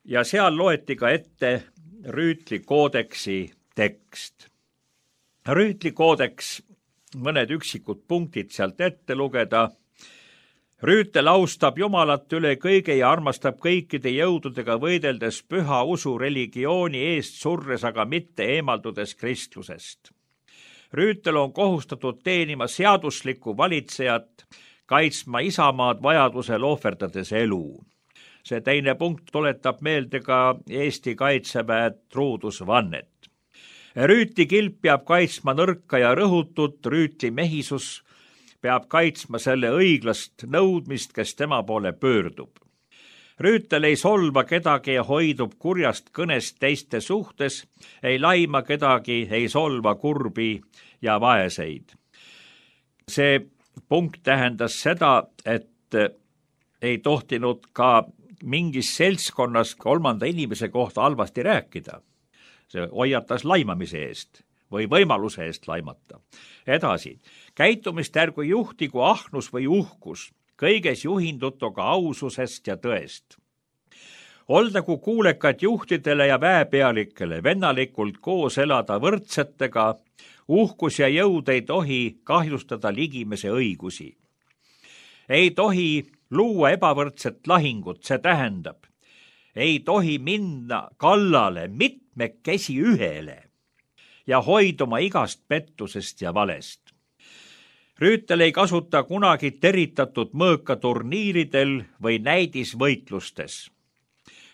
[SPEAKER 3] Ja seal loeti ka ette Rüütli koodeksi tekst. Rüütli koodeks, mõned üksikud punktid sealt ette lugeda. Rüütel austab Jumalat üle kõige ja armastab kõikide jõududega võideldes püha usu religiooni eest surres, aga mitte eemaldudes kristlusest. Rüütel on kohustatud teenima seaduslikku valitsejat, kaitsma isamaad vajadusel ohverdades elu. See teine punkt tuletab meelde ka Eesti Kaitseväe truudusvannet. Rüütli kilp peab kaitsma nõrka ja rõhutut, Rüütli mehisus peab kaitsma selle õiglast nõudmist, kes tema poole pöördub. Rüütel ei solva kedagi ja hoidub kurjast kõnest teiste suhtes, ei laima kedagi, ei solva kurbi ja vaeseid. See punkt tähendas seda, et ei tohtinud ka mingis seltskonnas kolmanda inimese kohta halvasti rääkida. See hoiatas laimamise eest või võimaluse eest laimata. Edasi, käitumist ärgu juhtigu ahnus või uhkus, kõiges juhindutuga aususest ja tõest. Oldagu kuulekad juhtidele ja väepealikele, vennalikult koos elada võrdsetega, uhkus ja jõud ei tohi kahjustada ligimese õigusi. Ei tohi luua ebavõrdset lahingut, see tähendab, ei tohi minna kallale mitmekesi ühele ja hoiduma igast pettusest ja valest. Rüütel ei kasuta kunagi teritatud mõõka turniiridel või näidisvõitlustes.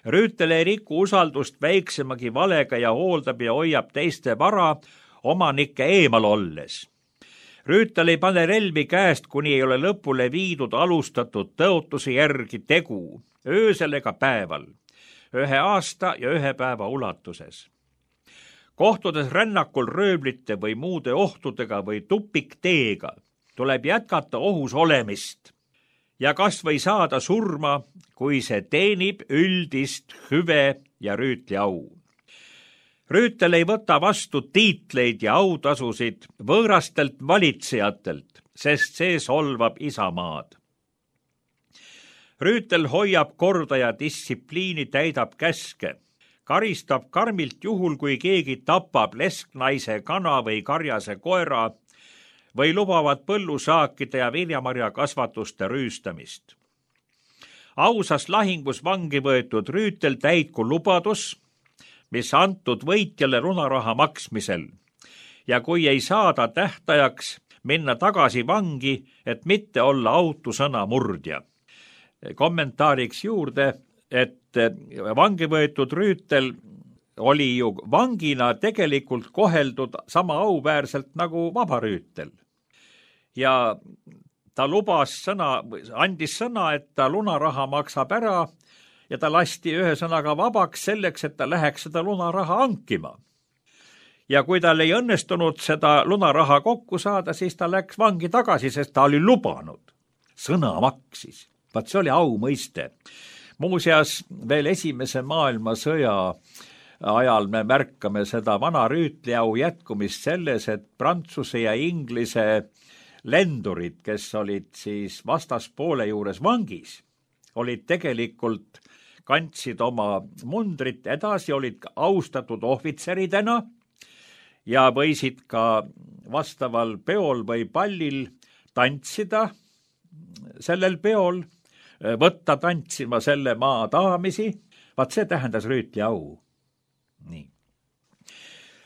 [SPEAKER 3] Rüütel ei riku usaldust väiksemagi valega ja hooldab ja hoiab teiste vara omanike eemal olles. Rüütel ei pane relvi käest, kuni ei ole lõpule viidud alustatud tõotuse järgi tegu, öösel ega päeval, 1 aasta ja 1 päeva ulatuses. Kohtudes rännakul rööblite või muude ohtudega või tupikteega, tuleb jätkata ohus olemist ja kas või saada surma, kui see teenib üldist hüve ja Rüütli au. Rüütel ei võta vastu tiitleid ja autasusid võõrastelt valitsejatelt, sest see solvab isamaad. Rüütel hoiab korda ja distsipliini, täidab käske, karistab karmilt juhul, kui keegi tapab lesknaise kana või karjase koera või lubavad põllusaakide ja viljamarja kasvatuste rüüstamist. Ausas lahingus vangi võetud Rüütel täitku lubadus, mis antud võitjale lunaraha maksmisel ja kui ei saada tähtajaks minna tagasi vangi, et mitte olla autu sõna murdja. Kommentaariks juurde, et vangi võetud Rüütel oli ju vangina tegelikult koheldud sama auväärselt nagu vaba Rüütel. Ja ta andis sõna, et ta lunaraha maksab ära ja ta lasti ühesõnaga vabaks selleks, et ta läheks seda lunaraha hankima. Ja kui tal ei õnnestunud seda lunaraha kokku saada, siis ta läks vangi tagasi, sest ta oli lubanud. Sõna maksis. Vaat see oli au mõiste. Muuseas, veel Esimese maailmasõja ajal me märkame seda vana Rüütli au jätkumist selles, et Prantsuse ja Inglise lendurid, kes olid siis vastaspoole juures vangis, olid tegelikult kandsid oma mundrit edasi, olid austatud ohvitseridena ja võisid ka vastaval peol või pallil tantsida sellel peol, võtta tantsima selle maa daamisi. Vaat see tähendas Rüütli au. Nii.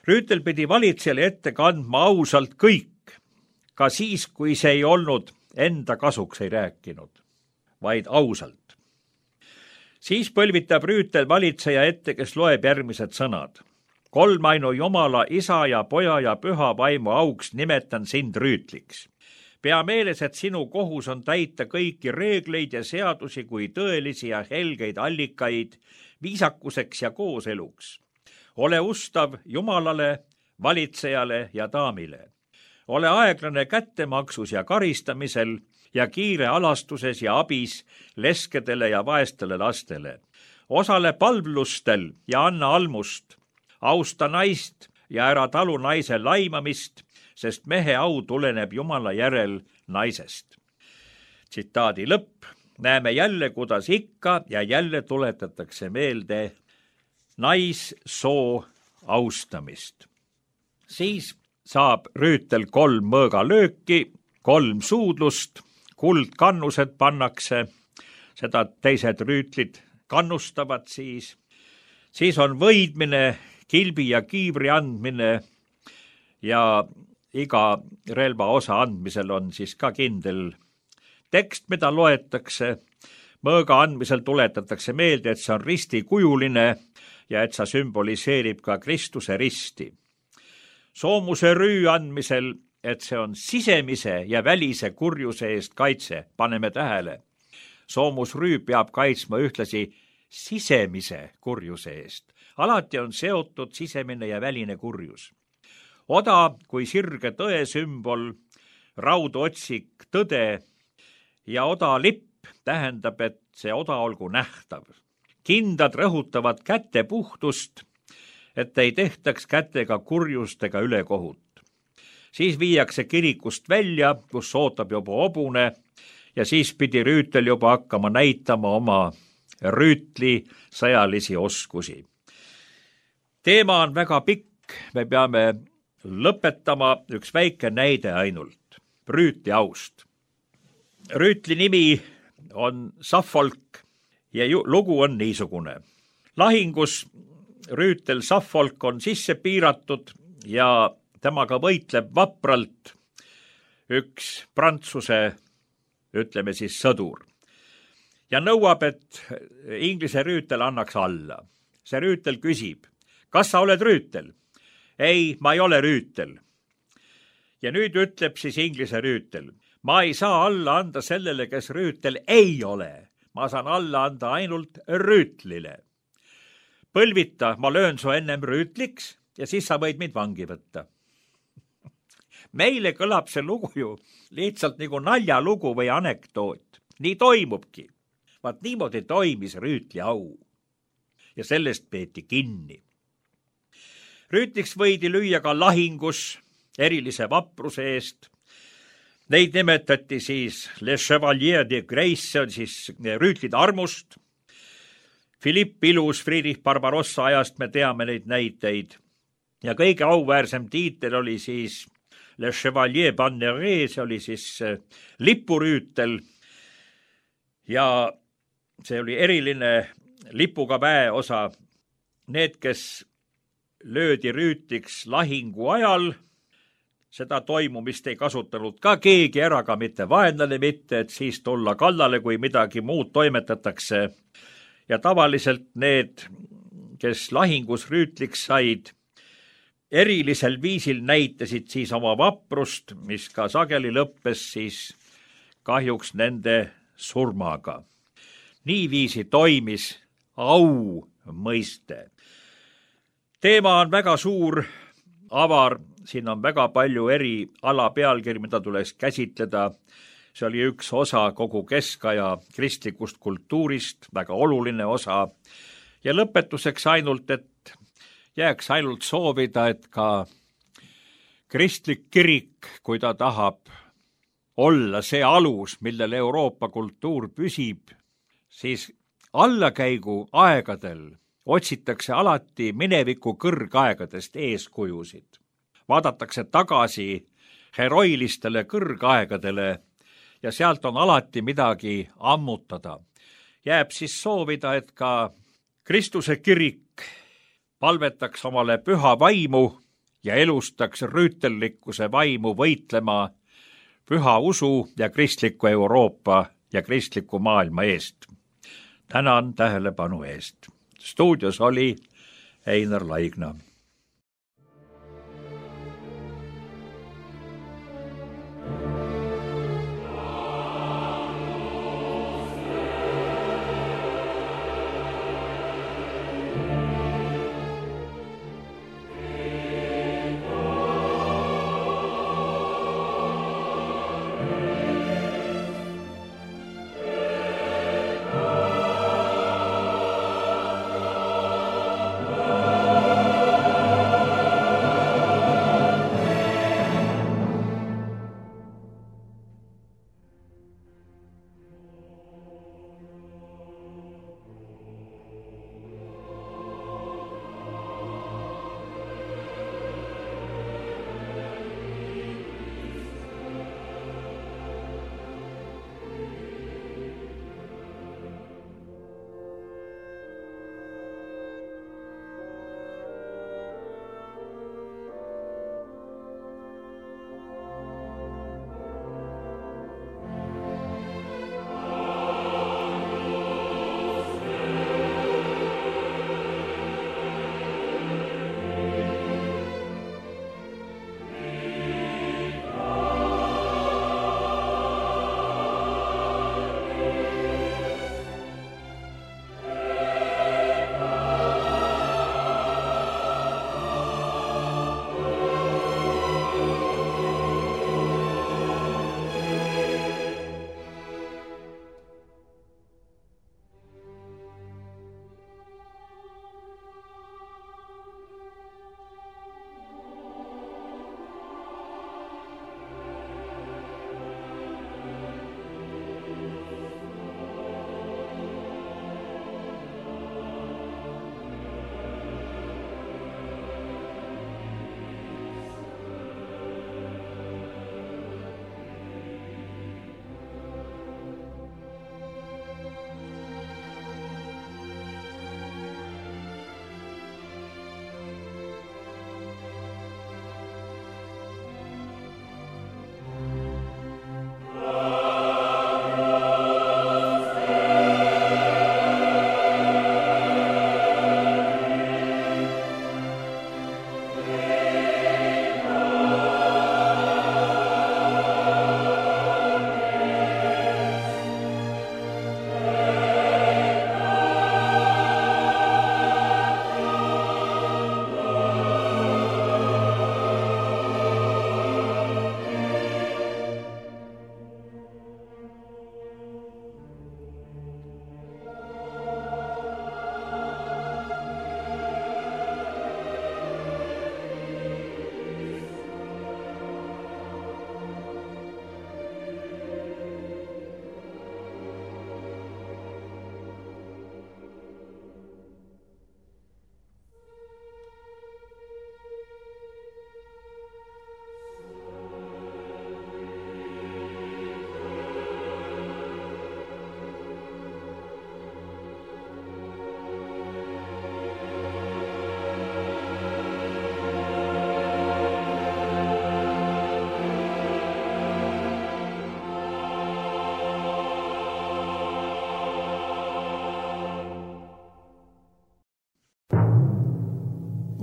[SPEAKER 3] Rüütel pidi valitsejale ette kandma ausalt kõik, ka siis, kui see ei olnud enda kasuks ei rääkinud, vaid ausalt. Siis põlvitab Rüütel valitseja ette, kes loeb järgmised sõnad. Kolmainu Jumala, Isa ja Poja ja Püha vaimu auks nimetan sind Rüütliks. Pea meeles, et sinu kohus on täita kõiki reegleid ja seadusi kui tõelisi ja helgeid allikaid viisakuseks ja kooseluks. Ole ustav Jumalale, valitsejale ja daamile. ole aeglane kättemaksus ja karistamisel ja kiire alastuses ja abis leskedele ja vaestele lastele. Osale palvlustel ja anna almust. Austa naist ja ära talu naise laimamist, sest mehe au tuleneb Jumala järel naisest. Tsitaadi lõpp. Näeme jälle, kuidas ikka ja jälle tuletatakse meelde naissoo austamist. Siis saab rüütel 3 mõõgalööki, 3 suudlust, kuldkannused pannakse, seda teised rüütlid kannustavad siis. Siis on võidmine, kilbi ja kiivri andmine ja iga relva osa andmisel on siis ka kindel tekst, mida loetakse. Mõõga andmisel tuletatakse meelde, et see on ristikujuline ja et see sümboliseerib ka Kristuse risti. Soomuse rüü andmisel, et see on sisemise ja välise kurjuse eest kaitse, paneme tähele. Soomusrüü peab kaitsma ühtlasi sisemise kurjuse eest. Alati on seotud sisemine ja väline kurjus. Oda kui sirge tõe sümbol, raudotsik tõde ja oda lipp tähendab, et see oda olgu nähtav. Kindad rõhutavad käte puhtust, et ei tehtaks kätega kurjust ega ülekohut. Siis viiakse kirikust välja, kus ootab juba hobune ja siis pidi rüütel juba hakkama näitama oma rüütli sõjalisi oskusi. Teema on väga pikk, me peame lõpetama üks väike näide ainult, rüütli aust. Rüütli nimi on Suffolk ja lugu on niisugune. Lahingus rüütel Suffolk on sisse piiratud ja temaga võitleb vapralt üks Prantsuse, ütleme siis sõdur. Ja nõuab, et Inglise rüütel annaks alla. See rüütel küsib, kas sa oled rüütel? Ei, ma ei ole rüütel. Ja nüüd ütleb siis Inglise rüütel, ma ei saa alla anda sellele, kes rüütel ei ole. Ma saan alla anda ainult rüütlile. Põlvita, ma löön su ennem rüütliks ja siis sa võid mind vangi võtta. Meile kõlab see lugu ju lihtsalt nagu naljalugu või anekdoot. Nii toimubki. Vaat niimoodi toimis rüütli au. Ja sellest peeti kinni. Rüütliks võidi lüüa ka lahingus erilise vapruse eest. Neid nimetati siis Les Chevaliers de Grace, see on siis rüütlid armust. Philipp Ilus, Friedrich Barbarossa ajast me teame neid näiteid. Ja kõige auväärsem tiitel oli siis Les Chevaliers Banneret, see oli siis lipurüütel. Ja see oli eriline lipuga väeosa. Need, kes löödi rüütliks lahingu ajal, seda toimumist ei kasutanud ka keegi ära, ka mitte vaenlane mitte, et siis tulla kallale, kui midagi muud toimetatakse. Ja tavaliselt need, kes lahingus rüütliks said, erilisel viisil näitasid siis oma vaprust, mis ka sageli lõppes siis kahjuks nende surmaga. Niiviisi toimis au mõiste. Teema on väga suur, avar, siin on väga palju eri alapealkiri, mida tuleks käsitleda. See oli üks osa kogu keskaja kristlikust kultuurist, väga oluline osa. Ja lõpetuseks ainult, et jääks ainult soovida, et ka kristlik kirik, kui ta tahab olla see alus, millel Euroopa kultuur püsib, siis allakäigu aegadel otsitakse alati mineviku kõrgaegadest eeskujusid. Vaadatakse tagasi heroilistele kõrgaegadele ja sealt on alati midagi ammutada. Jääb siis soovida, et ka Kristuse kirik palvetaks omale püha vaimu ja elustaks rüütellikkuse vaimu võitlema püha usu ja kristliku Euroopa ja kristliku maailma eest. Tänan tähelepanu eest. Stuudios oli Einar Laigna.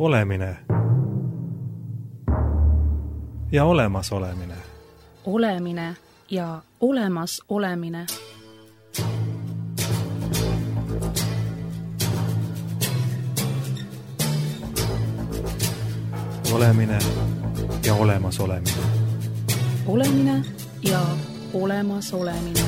[SPEAKER 1] Olemine ja olemasolemine.
[SPEAKER 2] Olemine ja olemas olemine.
[SPEAKER 1] Olemine ja olemas olemine.
[SPEAKER 2] Olemine ja olemas olemine.